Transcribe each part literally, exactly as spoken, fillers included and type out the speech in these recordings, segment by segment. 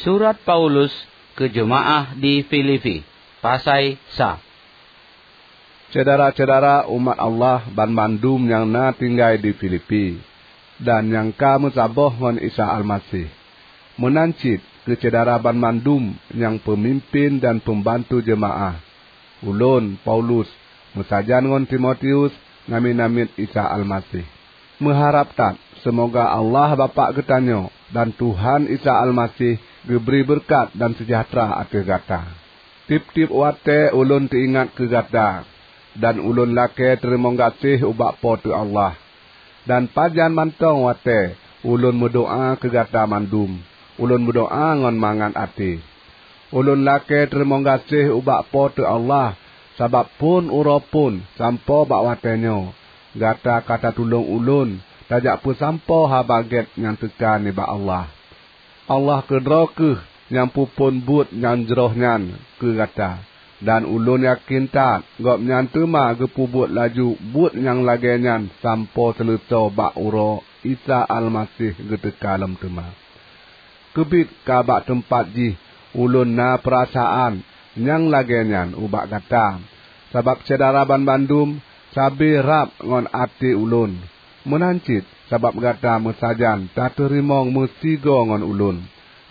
Surat Paulus keu jeumaáh di Filipi, pasai sa. Syedara-syedara umat Allah banmandum nyang na tinggai di Filipi, dan nyang ka meusaboh ngon Isa Almaseh. Meunan cit keu syedara banmandum nyang peumimpén dan peumbantu jeumaáh. Ulôn, Paulus, meusajan ngon Timotius, namiet-namiet Isa Almaseh. Meuharab that seumoga Allah Bapak geutanyoe dan Tuhan Isa Almaseh geubri beureukat dan seujahteura ateueh gata. Tieb-tieb watée ulôn teuingat keu gata, dan ulôn lakée teurimong gaséh ubak Po teu Allah. Dan pajan mantong watée ulôn meudoá keu gata mandum, ulôn meudoá ngon mangat até. Ulôn lakée teurimong gaséh ubak Po teu Allah, sabab phon uroe phon sampoe bak watée nyoe, gata ka tatulông ulôn tajak peusampoe Haba Gét nyang teuka nibak Allah. Allah keudroe kheueh nyang peuphon buet nyang jroh nyan keu gata, dan ulôn yakén that Gobnyan teuma geupeubuet laju buet nyang lagée nyan sampoe seuleusoe bak uroe Isa Almaseh geuteuka lom teuma. Keubiet ka bak teumpat jih ulôn na peurasaan nyang lagée nyan ubak gata, sabab syedara banmandum sabe rab ngon até ulôn. Meunan cit sabab gata meusajan tateurimong meusigoe ngon ulôn.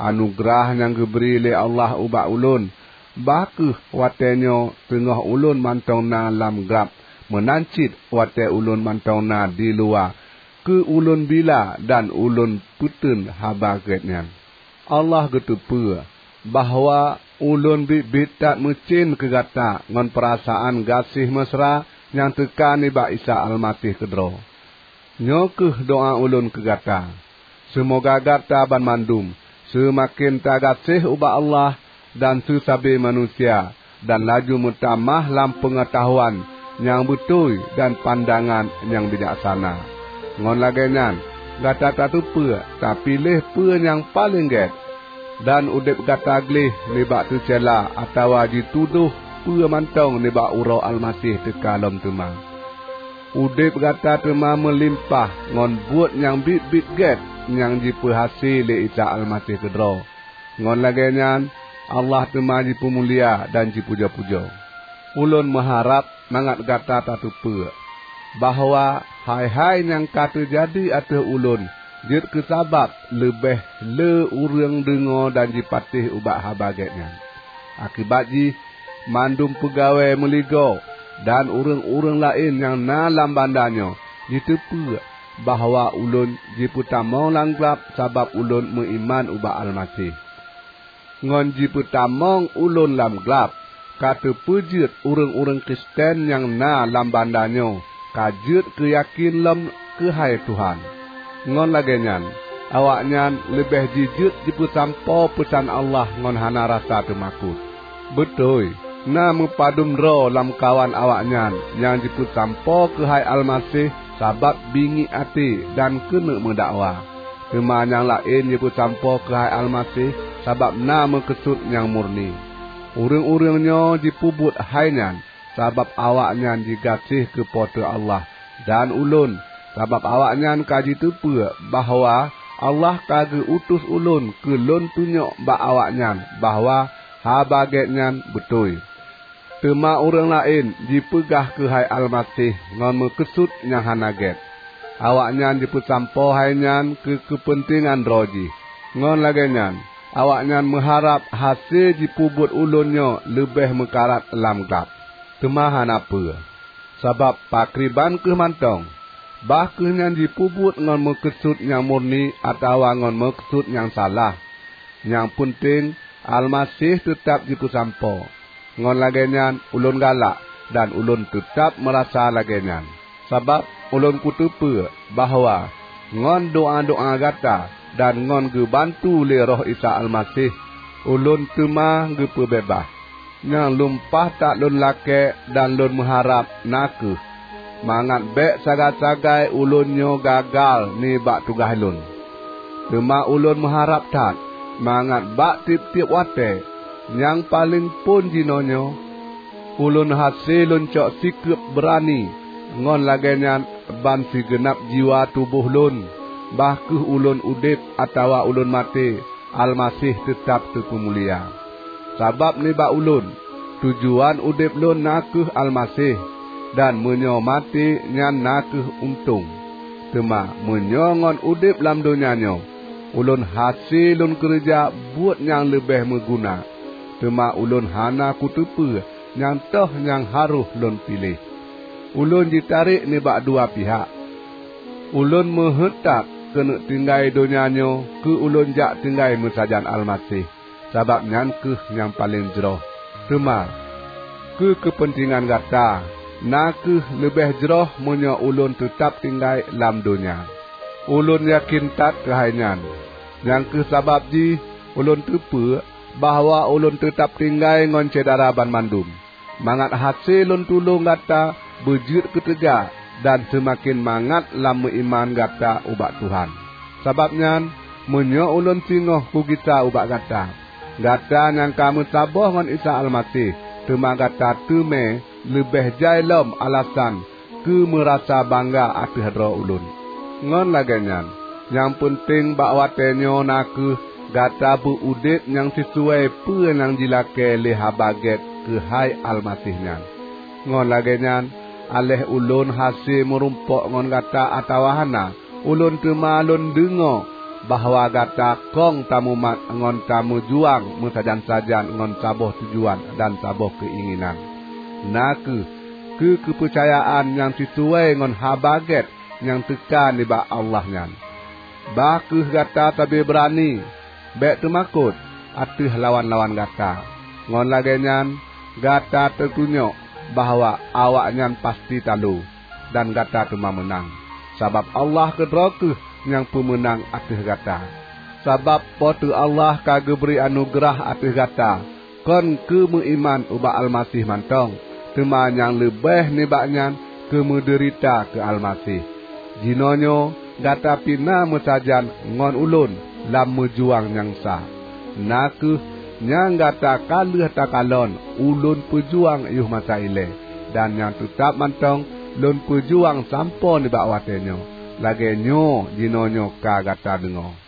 Anugeurah nyang geubri lé Allah ubak ulôn, bah kheueh watée nyoe teungoh ulôn mantong na lam glab, meunan cit watée ulôn mantong na diluwa, keu ulôn bila dan ulôn peuteun Haba Gét nyan. Allah geuteupeue bahwa ulôn biet-biet that meucén keu gata ngon peurasaan gaséh mesra nyang teuka nibak Isa Almaseh keudroe. Nyoe kheueh doá ulôn keu gata, seumoga gata banmandum seumaken tagaséh ubak Allah dan seusabe manusia, dan laju meutamah lam peungeutahuan nyang beutôi dan pandangan nyang bijaksana. Ngon lagée nyan, gata tateupeue tapiléh peue nyang paleng gét, dan udeb gata gleh nibak teucéla atawa jitudôh peue mantong nibak uroe Almaseh teuka lom teuma. Udeb gata teuma meulimpah ngon buet nyang biet-biet gét nyang jipeuhase lé Isa Almaseh keudroe. Ngon lagée nyan, Allah teuma jipeumulia dan jipujoe-pujoe. Ulôn meuharab mangat gata tateupeue bahwa hai-hai nyang ka teujadi ateueh ulôn jeuet keu sabab leubeh le ureuëng deungoe dan jipatéh ubak Haba Gét nyan. Akibat jih, mandum peugawée meuligoe dan ureuëng-ureuëng laén nyang na lam banda nyoe jiteupeue bahwa ulôn jipeutamong lam glab sabab ulôn meuiman ubak Almaseh. Ngon jipeutamong ulôn lam glab, ka teupeujeuet ureuëng-ureuëng Kristen nyang na lam banda nyoe ka jeuet keu yakén lom keuhai Tuhan. Ngon lagée nyan, awaknyan leubeh jijeuet jipeusampoe peusan Allah ngon hana rasa teumakot. Beutôi, na meupadum droe lamkawan awaknyan nyang jipeusampoe keuhai Almaseh sabab bingiek até dan keuneuk meudakwa. Teuma nyang laén jipeusampoe keuhai Almaseh sabab na meukeusut nyang murni. Ureuëng-ureuëng nyoe jipeubuet hai nyan sabab awaknyan jigaséh keu Po teu Allah, dan ulôn, sabab awaknyan ka jiteupeue bahwa Allah ka geu-utus ulôn keu lôn tunyok bak awaknyan bahwa Haba Gét nyan beutôi. Teuma ureuëng laén jipeugah keuhai Almaseh ngon meukeusut nyang hana gét. Awaknyan jipeusampoe hai nyan keu keupeuntengan droe jih. Ngon lagée nyan, awaknyan meuharab hase jipeubuet ulôn nyoe leubeh meukarat lam glab. Teuma hana peue, sabab pakriban kheueh mantong, bah kheueh nyan jipeubuet ngon meukeusut nyang murni atawa ngon meukeusut nyang salah, nyang peunteng Almaseh teutab jipeusampoe. Ngon lagée nyan ulôn galak dan ulôn teutab meurasa lagée nyan, sabab ulôn kuteupeue bahwa ngon doá-doá gata dan ngon geubantu lé Roh Isa Almaseh, ulôn teuma geupeubeubaih. Nyang lumpah that lôn lakée dan lôn meuharab na kheueh mangat bék sagai-sagai ulôn nyoe gagal nibak tugaih lôn. Teuma ulôn meuharab that mangat bak tieb-tieb watée, nyang paleng phon jinoenyoe, ulôn hase lôn cok sikeueb beurani, ngon lagée nyan ban sigeunab jiwa tuboh lôn, bah kheueh ulôn udeb atawa ulôn maté, Almaseh teutab teupeumulia. Sabab nibak ulôn, tujuan udeb lôn na kheueh Almaseh, dan meunyoe maté nyan na kheueh untông. Teuma meunyoe ngon udeb lam donya nyoe, ulôn hase lôn keureuja buet nyang leubeh meuguna, teuma ulôn hana kuteupeue nyang toh nyang harôh lôn piléh. Ulôn jitarek nibak dua pihak. Ulôn meuheuét that keuneuk tinggai donya nyoe keu ulôn jak tinggai meusajan Almaseh, sabab nyan kheueh nyang paleng jroh. Teuma, keu keupeuntengan gata, na kheueh leubeh jroh meunyoe ulôn teutab tinggai lam donya. Ulôn yakén that keuhai nyan. Nyang kheueh sabab jih ulôn teupeue bahwa ulôn teutab tinggai ngon syedara banmandum, mangat hase lôn tulông gata beujeuet keuteuga dan seumaken mangat lam meuiman gata ubak Tuhan. Sabab nyan, meunyoe ulôn singoh kugisa ubak gata, gata nyang ka meusaboh ngon Isa Almaseh, teuma gata teumé leubeh jai lom alasan keu meurasa bangga ateueh droe ulôn. Ngon lagée nyan, nyang peunteng bak watée nyoe na kheueh gata beu udeb nyang sisuai peue nyang jilakée lé Haba Gét keuhai Almaseh nyan. Ngon lagée nyan, aléh ulôn hase meurumpok ngon gata atawa hana, ulôn teuma lôn deungoe bahwa gata kong tamumat ngon tameujuang meusajan-sajan ngon saboh tujuan dan saboh keuinginan, na kheueh keu keupeucayaan nyang sisuai ngon Haba Gét nyang teuka nibak Allah nyan. Bah kheueh gata sabe beurani, bék teumakot ateueh lawan-lawan gata. Ngon lagée nyan, gata teutunyok bahwa awaknyan pasti talo, dan gata teuma meunang, sabab Allah keudroe kheueh nyang peumeunang ateueh gata. Sabab Po teu Allah ka geubri anugeurah ateueh gata kon keu meuiman ubak Almaseh mantong, teuma nyang leubeh nibak nyan keu meudeurita keu Almaseh. Jinoenyoe gata pih na meusajan ngon ulôn lam meujuang nyang sa. Na kheueh nyang gata ka lheueh takalon ulôn peujuang yoh masa ilée, dan nyang teutab mantong lôn peujuang sampoe nibak watée nyoe, lagée nyoe jinoenyoe ka gata deungoe.